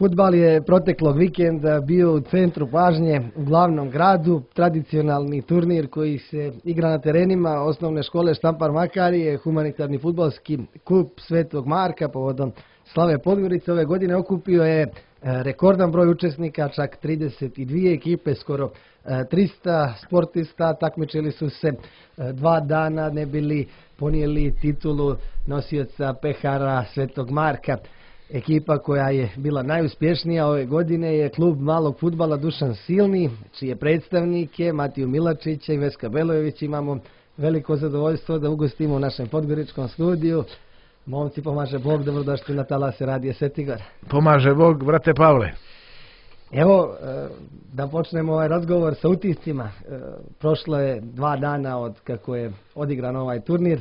Fudbal je proteklog vikenda bio u centru pažnje u glavnom gradu. Tradicionalni turnir koji se igra na terenima osnovne škole Štampar Makarije, humanitarni fudbalski klub Svetog Marka povodom slave Podgorice ove godine okupio je rekordan broj učesnika, čak 32 ekipe, skoro 300 sportista. Takmičili su se 2 dana, ne bili ponijeli titulu nosioca pehara Svetog Marka. Ekipa koja je bila najuspješnija ove godine je klub malog fudbala Dušan Silni, čije predstavnike Matiju Milačića i Veska Belojević imamo veliko zadovoljstvo da ugostimo u našem podgoričkom studiju. Momci, pomaže Bog, dobrodošli na talase Radija Svetigor. Pomaže Bog, brate Pavle. Evo, da počnemo ovaj razgovor sa utiscima. Prošlo je 2 dana od kako je odigran ovaj turnir.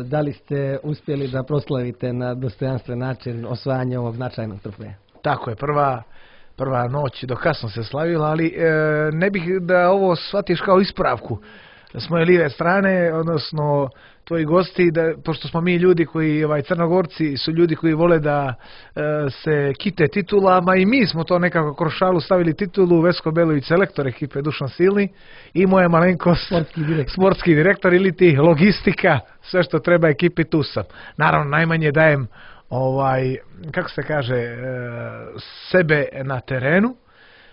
Da li ste uspjeli da proslavite na dostojanstven način osvajanje ovog značajnog trofeja? Tako je, prva noć do kasno se slavila, ali ne bih da ovo shvatiš kao ispravku s moje lijeve strane, odnosno tvoji gosti, pošto smo mi ljudi koji, Crnogorci su ljudi koji vole da se kite titulama, i mi smo to nekako kroz šalu stavili titulu. Vesko Belović, selektor ekipe Dušan Silni, i moja malenkost sportski direktor ili ti logistika, sve što treba ekipi, tu sam. Naravno, najmanje dajem kako se kaže, sebe na terenu,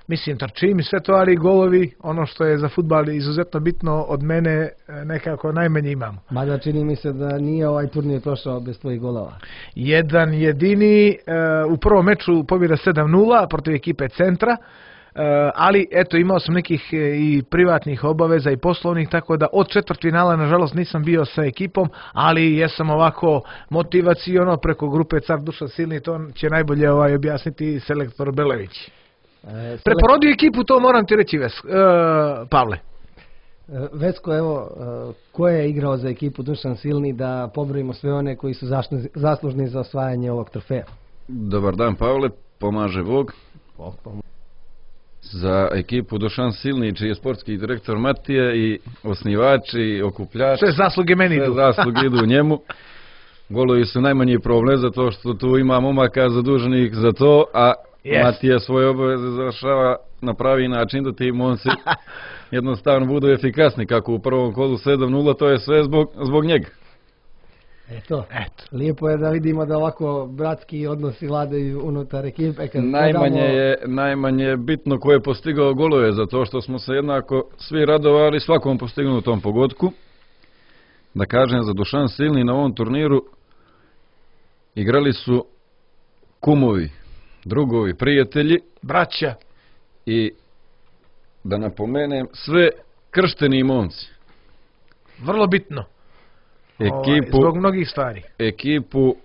mislim trčim i sve to, ali golovi, ono što je za fudbal izuzetno bitno, od mene nekako najmanje imamo. Mada čini mi se da nije ovaj turnir prošao bez tvojih golova. Jedan jedini, u prvom meču pobjeda 7-0 protiv ekipe Centra, ali eto, imao sam nekih i privatnih obaveza i poslovnih, tako da od četvrtfinala nažalost nisam bio sa ekipom, ali jesam ovako motivaciono preko grupe Car Dušan Silni, to će najbolje objasniti selektor Belević. Preporodio ekipu, to moram ti reći, Pavle. Vesko, evo, ko je igrao za ekipu Dušan Silni, da pobrojimo sve one koji su zaslužni za osvajanje ovog trofeja? Dobar dan, Pavle, pomaže Bog. Za ekipu Dušan Silni, čiji je sportski direktor Matija, i osnivač i okupljač. Sve zasluge meni idu. Sve zasluge idu njemu. Golovi su najmanji problem, zato što tu ima momaka zaduženih za to, a Matija svoje obaveze završava na pravi način da ti momci jednostavno budu efikasni. Kako u prvom kolu 7-0, to je sve zbog njega. Eto, lijepo je da vidimo da ovako bratski odnosi vladaju unutar ekipe. Najmanje je bitno ko je postigao golove, zato što smo se jednako svi radovali svakom postignutom pogodku. Da kažem, za Dušan Silni na ovom turniru igrali su kumovi, drugovi, prijatelji, braća, i da napomenem, sve kršteni momci. Vrlo bitno. Zbog mnogih stvari. Ekipu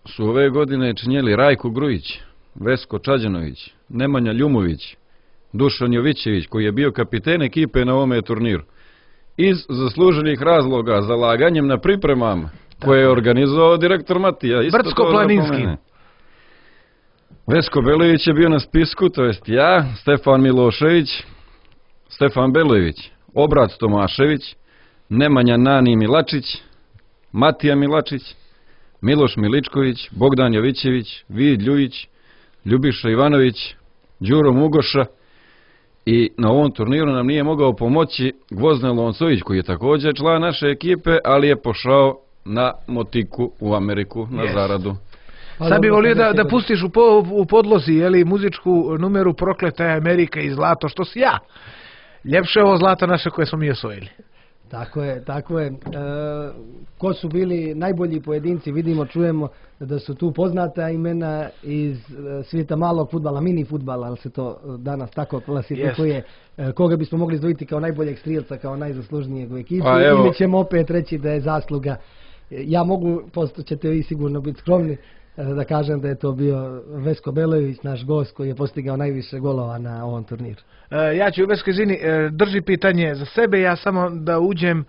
su ove godine činjeli Rajko Grujić, Vesko Čađanović, Nemanja Ljumović, Dušan Jovićević, koji je bio kapiten ekipe na ovome turniru. Iz zasluženih razloga, zalaganjem na pripremama koje je organizovao direktor Matija. Brdsko-planinski. Vesko Belojević je bio na spisku, to jest ja, Stefan Milošević, Stefan Belojević, Obrat Tomašević, Nemanja Nani Milačić, Matija Milačić, Miloš Miličković, Bogdan Jovićević, Vid Ljujić, Ljubiša Ivanović, Đuro Mugoša, i na ovom turniru nam nije mogao pomoći Gvozden Loncović, koji je također član naše ekipe, ali je pošao na motiku u Ameriku na zaradu. Sad bi volio da pustiš u podlozi muzičku numeru Prokleta je Amerika i zlato, što si ja. Ljepše je ovo zlato naše koje smo mi osvojili. Tako je. Ko su bili najbolji pojedinci? Vidimo, čujemo da su tu poznata imena iz svijeta malog fudbala, mini fudbala, ali se to danas tako klasifikuje. Koga bismo mogli izdvojiti kao najboljeg strijelca, kao najzaslužnijeg u ekipi, ili ćemo opet reći da je zasluga? Ja mogu, posto ćete vi sigurno biti skromni, da kažem da je to bio Vesko Belojević, naš gost koji je postigao najviše golova na ovom turniru. Ja ću, Vesko, izvini, drži pitanje za sebe, ja samo da uđem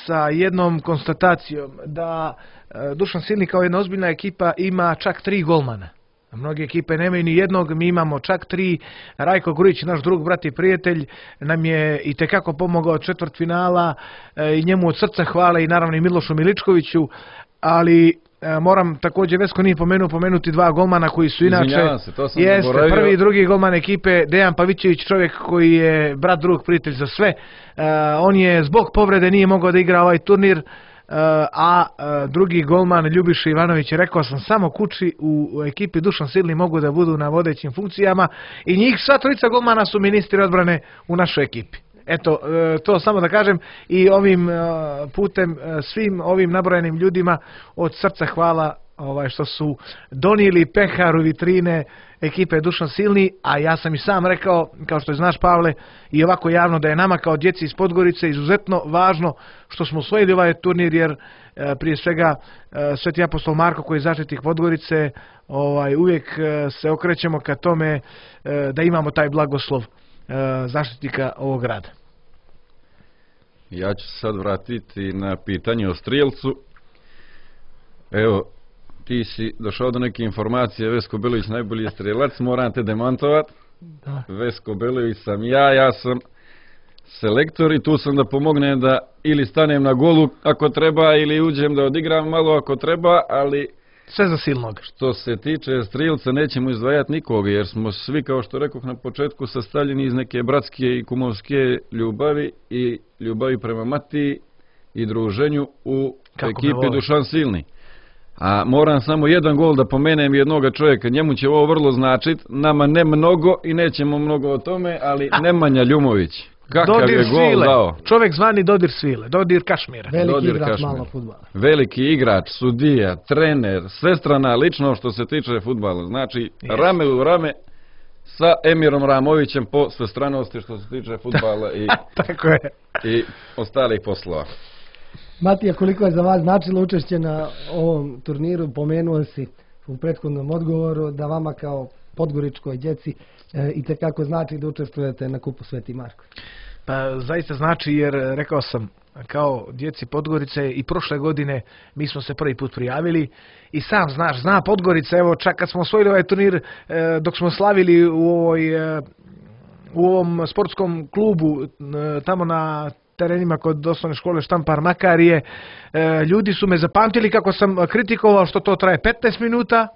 sa jednom konstatacijom, da Dušan Silni kao jedna ozbiljna ekipa ima čak 3 golmana. Mnoge ekipe nemaju ni jednog, mi imamo čak 3. Rajko Grujić, naš drug, brat i prijatelj, nam je i tekako pomogao četvrtfinala, i njemu od srca hvala, i naravno i Milošu Miličkoviću, ali moram također, Vesko nije pomenuti dva golmana koji su inače... Izvinjavam se, to sam jeste, zaboravio. prvi i drugi golman ekipe, Dejan Pavićević, čovjek koji je brat, drug, prijatelj za sve. On je zbog povrede nije mogao da igra ovaj turnir, a drugi golman Ljubiša Ivanović, rekao sam, samo kući u ekipi Dušan Silni mogu da budu na vodećim funkcijama i njih sva trojica golmana su ministri odbrane u našoj ekipi. Eto, to samo da kažem i ovim putem svim ovim nabrojenim ljudima od srca hvala što su donijeli pehar u vitrine ekipe Dušan Silni, a ja sam i sam rekao, kao što znaš Pavle, i ovako javno da je nama kao djeci iz Podgorice izuzetno važno što smo osvojili ovaj turnir, jer prije svega Sveti apostol Marko koji je zaštitnik Podgorice, uvijek se okrećemo ka tome da imamo taj blagoslov zaštitnika ovog grada. Ja ću se sad vratiti na pitanje o strijelcu. Evo, ti si došao do neke informacije, Vesko Belović najbolji strijelac, moram te demantovat. Da. Vesko Belović sam ja sam selektor i tu sam da pomognem da ili stanem na golu ako treba ili uđem da odigram malo ako treba, ali sve za Silnog. Što se tiče strijelca nećemo izdvajati nikoga jer smo svi, kao što rekoh na početku, sastavljeni iz neke bratske i kumovske ljubavi i ljubavi prema Matiji i druženju u ekipi Dušan Silni. A moram samo jedan gol da pomenem jednoga čovjeka, njemu će ovo vrlo značit, nama ne mnogo i nećemo mnogo o tome, ali Nemanja Ljumović. Kakav Dodir je gol svile. dao. Čovjek zvani Dodir svile, Dodir Kašmira. Veliki igrač malo fudbala. Veliki igrač, sudija, trener, svestrana lično što se tiče fudbala. Znači, rame u rame sa Emirom Ramovićem po svestranosti što se tiče fudbala Tako je. I ostalih poslova. Matija, koliko je za vas značilo učešće na ovom turniru? Pomenuo si u prethodnom odgovoru da vama kao podgoričkoj djeci itekako znači da učestvujete na kupu Sveti Marko. Pa zaista znači, jer rekao sam, kao djeci Podgorice i prošle godine mi smo se prvi put prijavili i sam zna Podgorica, evo čak kad smo osvojili ovaj turnir, dok smo slavili u ovom sportskom klubu tamo na terenima kod osnovne škole Štampar Makarije, ljudi su me zapamtili kako sam kritikovao što to traje 15 minuta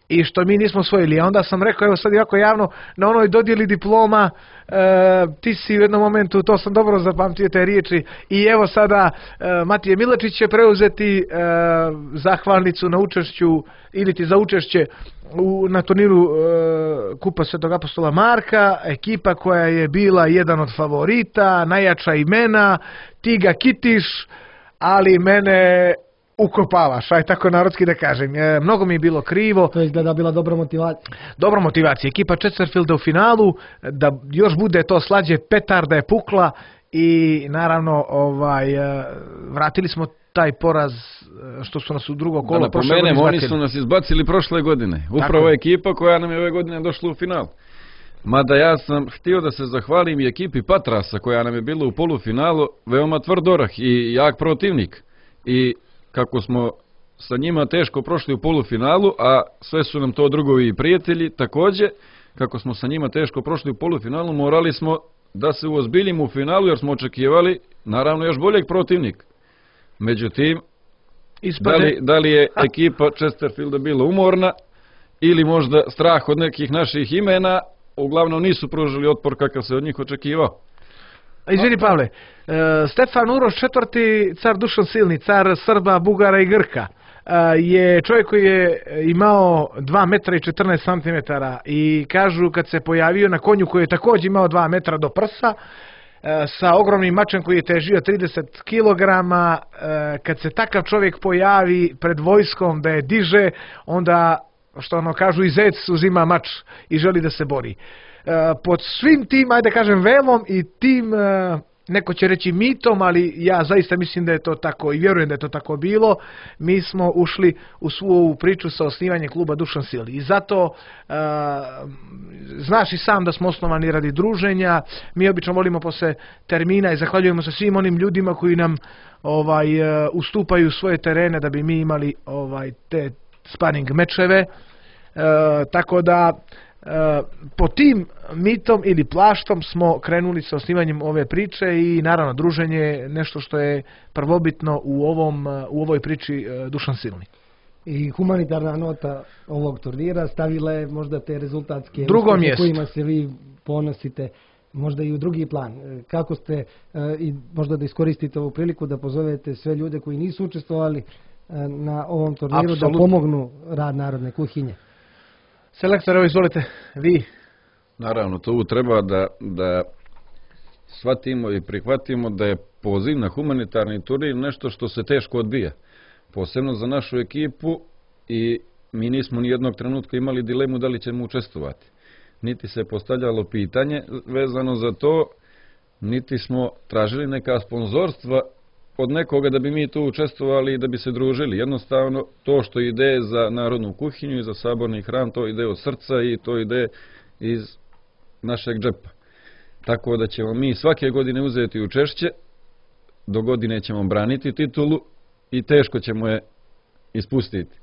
i što mi nismo osvojili. A onda sam rekao, evo sad jako javno, na onoj dodjeli diploma, ti si u jednom momentu, to sam dobro zapamtio te riječi, i evo sada Matije Milačić će preuzeti zahvalnicu na učešću, ili ti za učešće na turniru Kupa Svetog apostola Marka, ekipa koja je bila jedan od favorita, najjača imena, ti ga kitiš, ali mene ukopavaš, aj tako narodski da kažem. Mnogo mi je bilo krivo. To je izgleda bila dobra motivacija. Dobra motivacija. Ekipa Chesterfielda u finalu, da još bude to slađe, petarda je pukla i naravno vratili smo taj poraz što su nas u drugo kolo. Da napomenem, oni su nas izbacili prošle godine. Upravo ekipa koja nam je ove godine došla u final. Mada ja sam htio da se zahvalim i ekipi Patrasa koja nam je bila u polufinalu, veoma tvrd orah i jak protivnik. I kako smo sa njima teško prošli u polufinalu, a sve su nam to drugovi i prijatelji, također, kako smo sa njima teško prošli u polufinalu, morali smo da se uozbiljimo u finalu, jer smo očekivali, naravno, još boljeg protivnika. Međutim, da li je ekipa Chesterfielda bila umorna, ili možda strah od nekih naših imena, uglavnom nisu pružili otpor kakav se od njih očekivao. Izvini Pavle, Stefan Uroš IV, car Dušan Silni, car Srba, Bugara i Grka, je čovjek koji je imao 2 metra i 14 centimetara i kažu kad se pojavio na konju koji je također imao 2 metra do prsa, sa ogromnim mačem koji je težio 30 kg, kad se takav čovjek pojavi pred vojskom da je diže, onda, što ono kažu, i zec uzima mač i želi da se bori. Pod svim tim, ajde kažem, velom i tim, neko će reći mitom, ali ja zaista mislim da je to tako i vjerujem da je to tako bilo, mi smo ušli u svu ovu priču sa osnivanjem kluba Dušan Silni. I zato, znaš i sam da smo osnovani radi druženja, mi obično volimo posle termina i zahvaljujemo se svim onim ljudima koji nam ustupaju svoje terene da bi mi imali te sparring mečeve, tako da po tim mitom ili plaštom smo krenuli sa osnivanjem ove priče i naravno druženje je nešto što je prvobitno u ovoj priči Dušan Silni. I humanitarna nota ovog turnira stavila je možda te rezultatske Drugo uspjehe mjesto. kojima se vi ponosite možda i u drugi plan. Kako ste, i možda da iskoristite ovu priliku da pozovete sve ljude koji nisu učestvovali na ovom turniru da pomognu rad Narodne kuhinje. Selektor, evo izvolite, vi. Naravno, to treba da shvatimo i prihvatimo da je poziv na humanitarni turnir nešto što se teško odbija. Posebno za našu ekipu, i mi nismo ni jednog trenutka imali dilemu da li ćemo učestvovati. Niti se postavljalo pitanje vezano za to, niti smo tražili neka sponzorstva od nekoga da bi mi tu učestvovali i da bi se družili. Jednostavno, to što ide za Narodnu kuhinju i za saborni hram, to ide od srca i to ide iz našeg džepa. Tako da ćemo mi svake godine uzeti učešće, do godine ćemo braniti titulu i teško ćemo je ispustiti.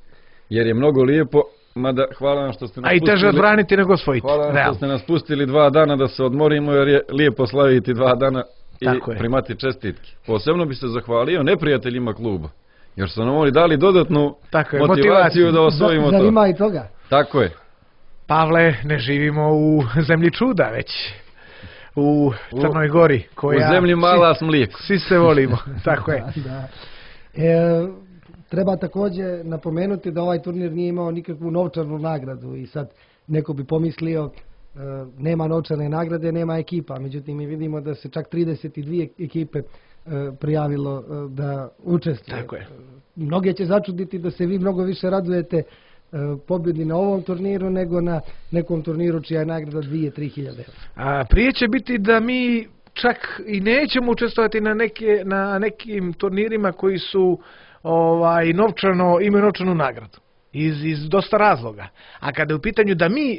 Jer je mnogo lijepo, mada hvala vam što ste nas pustili. A i teže odbraniti nego osvojiti. Hvala vam što ste nas pustili 2 dana da se odmorimo, jer je lijepo slaviti 2 dana i primati čestitke. Posebno bi se zahvalio neprijateljima kluba, jer su nam oni dali dodatnu motivaciju da osvojimo to. Zar ima i toga? Tako je. Pavle, ne živimo u zemlji čuda, već u Crnoj Gori. U zemlji mala s mlijekom. Svi se volimo, tako je. Da. Treba također napomenuti da ovaj turnir nije imao nikakvu novčanu nagradu i sad neko bi pomislio nema novčane nagrade, nema ekipa. Međutim, mi vidimo da se čak 32 ekipe prijavilo da učestvuju. Tako je. Mnoge će začuditi da se vi mnogo više radujete pobjedi na ovom turniru nego na nekom turniru čija je nagrada 2-3 hiljade. Prije će biti da mi čak i nećemo učestvovati na nekim turnirima koji su imaju novčanu nagradu. Iz dosta razloga. A kada je u pitanju da mi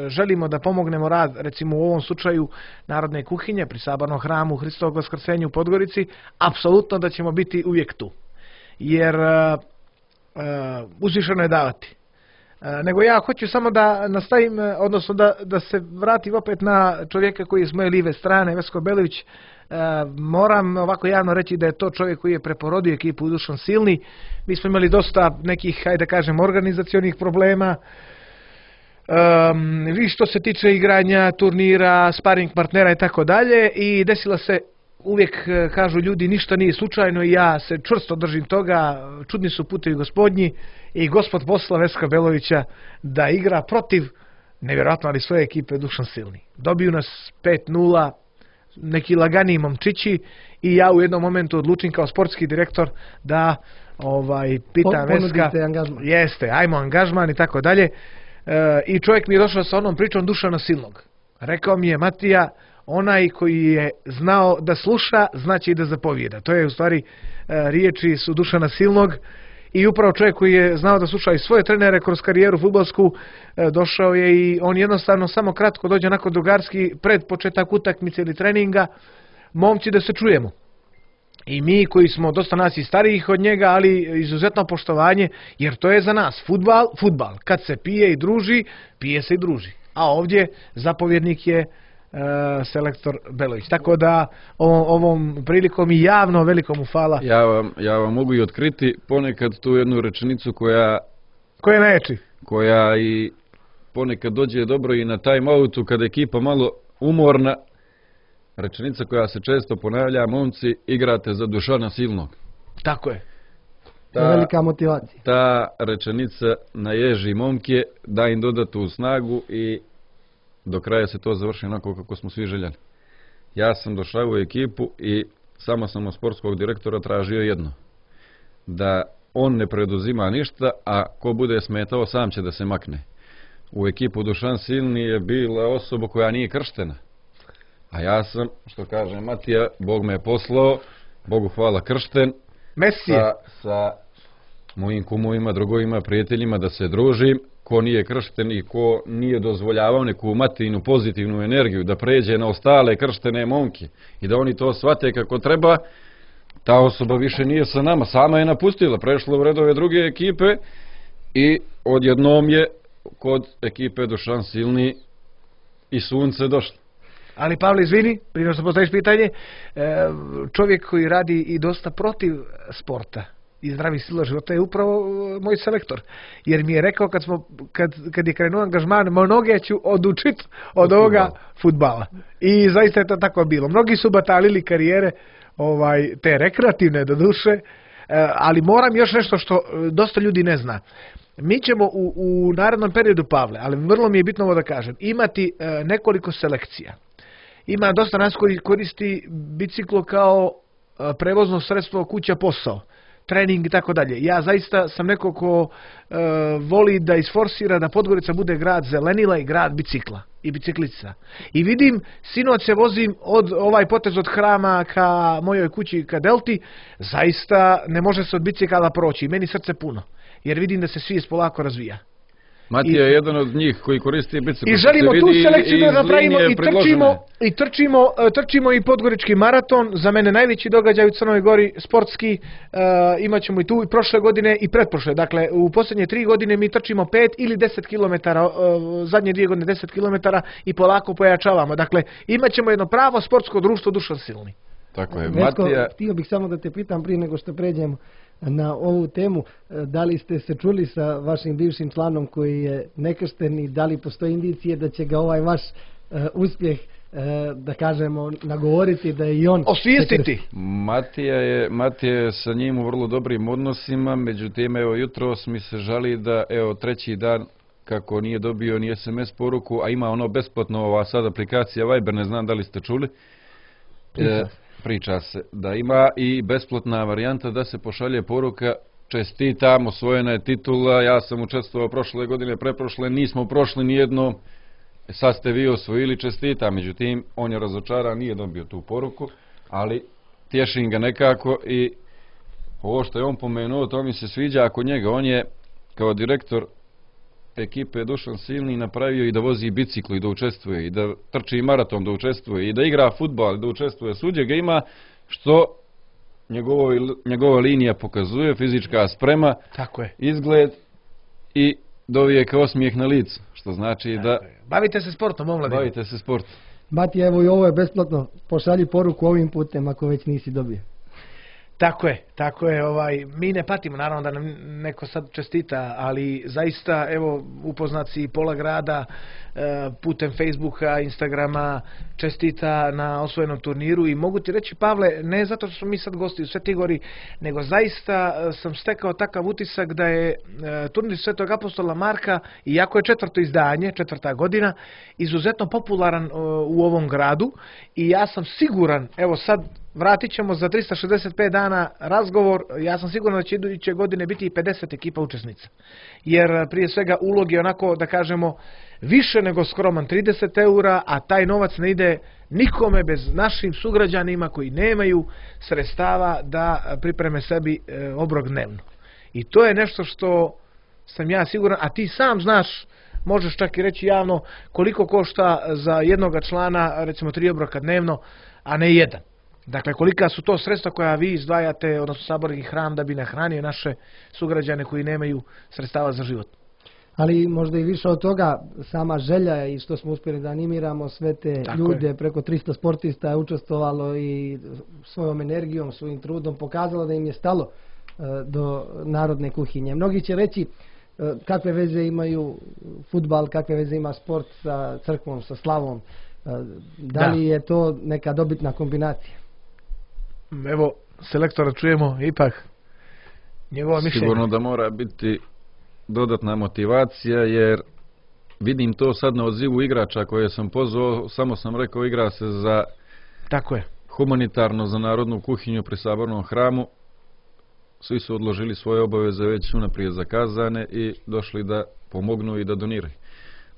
želimo da pomognemo rad, recimo u ovom slučaju Narodne kuhinje pri Sabornom hramu Hristovog Vaskrsenja u Podgorici, apsolutno da ćemo biti uvijek tu. Jer uzvišeno je davati. Nego ja hoću samo da nastavim, odnosno da se vratim opet na čovjeka koji je s moje live strane, Vesko Belević. Moram ovako javno reći da je to čovjek koji je preporodio ekipu Dušan Silni. Mi smo imali dosta nekih, hajde da kažem, organizacionih problema. Vi što se tiče igranja, turnira, sparing partnera i tako dalje. I desila se, uvijek kažu ljudi, ništa nije slučajno i ja se čvrsto držim toga. Čudni su putevi gospodnji i Gospod posla Veska Belovića da igra protiv, nevjerojatno, ali svoje ekipe Dušan Silni. Dobiju nas 5-0, neki laganiji momčići i ja u jednom momentu odlučim kao sportski direktor da pitam Veska, jeste, ajmo angažman i tako dalje. I čovjek mi je došao sa onom pričom Dušana Silnog. Rekao mi je, Matija, onaj koji je znao da sluša, znači i da zapovijeda. To je u stvari riječi su Dušana Silnog. I upravo čovjek koji je znao da sluša i svoje trenere kroz karijeru fudbalsku, došao je i on jednostavno samo kratko dođe nakon drugarski pred početak utakmice ili treninga, momci da se čujemo. I mi koji smo dosta nas i starijih od njega, ali izuzetno poštovanje, jer to je za nas fudbal. Kad se pije i druži, pije se i druži. A ovdje zapovjednik je selektor Belović. Tako da ovom prilikom i javno veliko mu hvala. Ja vam mogu i otkriti ponekad tu jednu rečenicu koja neči. Koja i ponekad dođe dobro i na time-outu kada je ekipa malo umorna. Rečenica koja se često ponavlja, momci, igrate za Dušana Silnog. Tako je. Velika motivacija. Ta rečenica naježi momke, da im dodatu snagu i do kraja se to završi onako kako smo svi željeli. Ja sam došao u ekipu i samo sam od sportskog direktora tražio jedno. Da on ne preduzima ništa, a ko bude smetao sam će da se makne. U ekipu Dušan Silni je bila osoba koja nije krštena. A ja sam, što kaže Matija, Bog me je poslao, Bogu hvala, kršten. Mesije. Sa mojim kumovima, drugovima, prijateljima da se družim. Ko nije kršten i ko nije dozvoljavao neku Matijinu pozitivnu energiju da pređe na ostale krštene momke i da oni to shvate kako treba, ta osoba više nije sa nama, sama je napustila, prešla u redove druge ekipe i odjednom je kod ekipe Dušan Silni i sunce došlo. Ali Pavle, izvini, prije što postaviš pitanje, čovjek koji radi i dosta protiv sporta, i zdravih stila života je upravo moj selektor. Jer mi je rekao kad je krenuo angažman, mnoge ću odučiti od ovoga fudbala. I zaista je to tako bilo. Mnogi su batalili karijere, te rekreativne do duše, ali moram još nešto što dosta ljudi ne zna. Mi ćemo u narednom periodu, Pavle, ali vrlo mi je bitno ovo da kažem, imati nekoliko selekcija. Ima dosta nas koji koristi biciklo kao prevozno sredstvo kuća posao, trening i tako dalje. Ja zaista sam neko ko voli da isforsira da Podgorica bude grad zelenila i grad bicikla i biciklica. I vidim, sinoć se vozim ovaj potez od Hrama ka mojoj kući ka Delti, zaista ne može se od bicikala proći. Meni srce puno, jer vidim da se svijest polako razvija. Matija je jedan od njih koji koristi bicikl. I želimo tu selekciju da napravimo i trčimo i Podgorički maraton, za mene najveći događaj u Crnoj Gori, sportski, imat ćemo i tu i prošle godine i pretprošle. Dakle, u posljednje 3 godine mi trčimo 5 ili 10 km, zadnje 2 godine 10 km i polako pojačavamo. Dakle, imat ćemo jedno pravo sportsko društvo Dušan Silni. Tako je, Vesko, Matija... htio bih samo da te pitam prije nego što pređemo na ovu temu, da li ste se čuli sa vašim bivšim članom koji je nekršten i da li postoji indicije da će ga ovaj vaš uspjeh, da kažemo, nagovoriti da je i on... Osvijestiti! Matija je sa njim u vrlo dobrim odnosima, međutim, evo, jutros mi se žali da, evo, 3. dan kako nije dobio ni SMS poruku, a ima ono besplatno, ova sad aplikacija Viber, ne znam da li ste čuli. Priča se da ima i besplatna varijanta da se pošalje poruka: čestitam, osvojena je titula, ja sam učestvovao prošle godine, preprošle, nismo prošli nijedno, sad ste vi osvojili, čestitam. Međutim, on je razočaran, nije dobio tu poruku, ali tješim ga nekako i ovo što je on pomenuo, to mi se sviđa ako njega. On je kao direktor ekipe Dušan Silni napravio i da vozi biciklu i da učestvuje, i da trči maraton da učestvuje, i da igra fudbal da učestvuje. Svuđe ga ima, što njegova linija pokazuje, fizička sprema, tako je, izgled i dovijek osmijeh na licu, što znači da... Bavite se sportom, omladine. Bavite se sportom. Matija, evo i ovo je besplatno, pošalji poruku ovim putem ako već nisi dobio. Tako je, mi ne patimo, naravno da nam neko sad čestita, ali zaista, evo, upoznat si pola grada putem Facebooka, Instagrama, čestita na osvojenom turniru i mogu ti reći, Pavle, ne zato što smo mi sad gosti u Svetoj Gori, nego zaista sam stekao takav utisak da je turnir Svetog apostola Marka, iako je 4. izdanje, 4. godina, izuzetno popularan u ovom gradu i ja sam siguran, evo sad, vratit ćemo za 365 dana razgovor, ja sam siguran da će iduće godine biti i 50 ekipa učesnica. Jer prije svega ulog je onako, da kažemo, više nego skroman, 30 eura, a taj novac ne ide nikome bez našim sugrađanima koji nemaju sredstava da pripreme sebi obrok dnevno. I to je nešto što sam ja siguran, a ti sam znaš, možeš čak i reći javno, koliko košta za jednoga člana, recimo 3 obroka dnevno, a ne 1. Dakle, kolika su to sredstva koja vi izdvajate, odnosno saborski hram, da bi nahranio naše sugrađane koji nemaju sredstava za život. Ali možda i više od toga, sama želja i što smo uspjeli da animiramo sve te ljude, preko 300 sportista je učestvovalo i svojom energijom, svojim trudom pokazalo da im je stalo do narodne kuhinje. Mnogi će reći kakve veze imaju fudbal, kakve veze ima sport sa crkvom, sa slavom. Da li je to neka dobitna kombinacija? Evo, selektora čujemo ipak njegovo mišljenje. Sigurno da mora biti dodatna motivacija, jer vidim to sad na odzivu igrača koje sam pozvao, samo sam rekao igra se za humanitarno, za narodnu kuhinju pri Sabornom hramu. Svi su odložili svoje obaveze već unaprijed zakazane i došli da pomognu i da doniraju.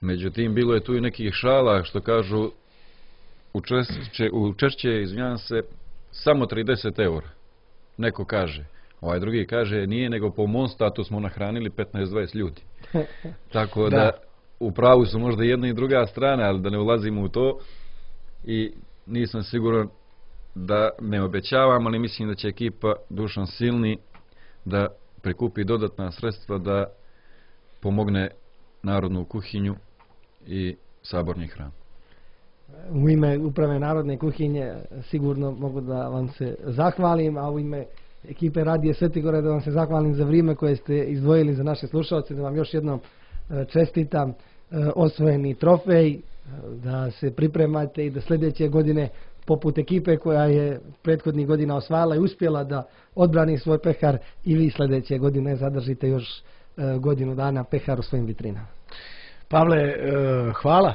Međutim, bilo je tu i nekih šala što kažu učešće, izvinjam se, samo 30 eura. Neko kaže. Ovaj drugi kaže nije, nego po mom statu smo nahranili 15-20 ljudi. Tako da u pravu su možda jedna i druga strana, ali da ne ulazimo u to i nisam siguran da ne obećavam, ali mislim da će ekipa Dušan Silni da prikupi dodatna sredstva da pomogne narodnu kuhinju i saborni hram. U ime uprave Narodne kuhinje sigurno mogu da vam se zahvalim, a u ime ekipe Radije Svetigore da vam se zahvalim za vrijeme koje ste izdvojili za naše slušalce, da vam još jednom čestitam osvojeni trofej, da se pripremate i da sljedeće godine poput ekipe koja je prethodnih godina osvajala i uspjela da odbrani svoj pehar i vi sljedeće godine zadržite još godinu dana pehar u svojim vitrinama. Pavle, hvala.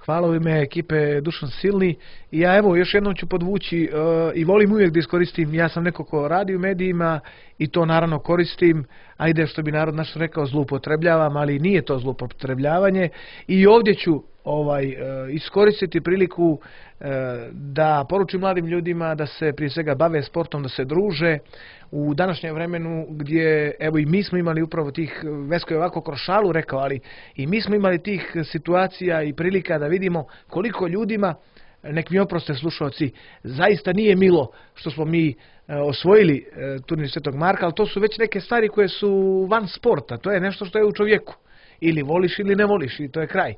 Hvala u ime ekipe Dušan Silni. I ja evo još jednom ću podvući i volim uvijek da iskoristim, ja sam neko ko radi u medijima i to naravno koristim, ajde što bi narod naš rekao zloupotrebljavam, ali nije to zloupotrebljavanje i ovdje ću iskoristiti priliku da poručim mladim ljudima da se prije svega bave sportom, da se druže u današnjem vremenu gdje, evo i mi smo imali upravo tih, Vesko je ovako kroz šalu rekao, ali i mi smo imali tih situacija i prilika da vidimo koliko ljudima, nek mi oproste slušalci, zaista nije milo što smo mi osvojili turnir Svetog Marka, ali to su već neke stvari koje su van sporta, to je nešto što je u čovjeku. Ili voliš ili ne voliš i to je kraj.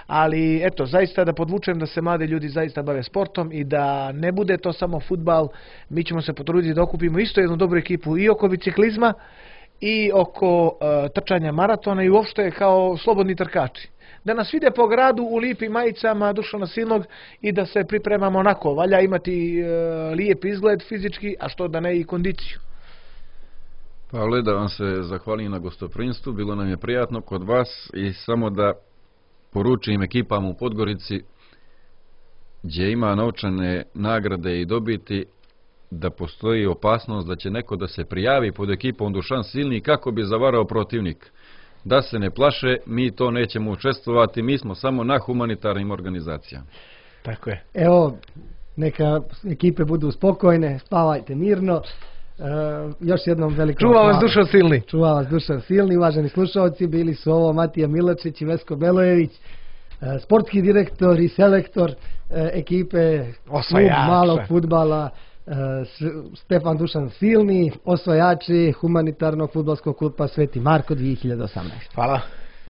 Ali eto, zaista da podvučem da se mladi ljudi zaista bave sportom i da ne bude to samo fudbal. Mi ćemo se potruditi da okupimo isto jednu dobru ekipu i oko biciklizma i oko trčanja maratona i uopšte kao slobodni trkači. Da nas vide po gradu u lijepim majicama Dušana Silnog i da se pripremamo onako. Valja imati lijep izgled fizički, a što da ne i kondiciju. Pavle, da vam se zahvalim na gostoprinstvu, bilo nam je prijatno kod vas i samo da poručim ekipama u Podgorici gdje ima novčane nagrade i dobiti da postoji opasnost da će neko da se prijavi pod ekipom Dušan Silni kako bi zavarao protivnik. Da se ne plaše, mi to nećemo učestvovati, mi smo samo na humanitarnim organizacijama. Tako je. Evo, neka ekipe budu spokojne, spavajte mirno. Još jednom veliko Čuva vas Dušan Silni. Čuva vas Dušan Silni, uvaženi slušalci, bili su ovo Matija Milačić i Vesko Belojević, sportski direktor i selektor ekipe malog fudbala Stefan Dušan Silni, osvajači humanitarnog fudbalskog kluba Sveti Marko 2018. Hvala.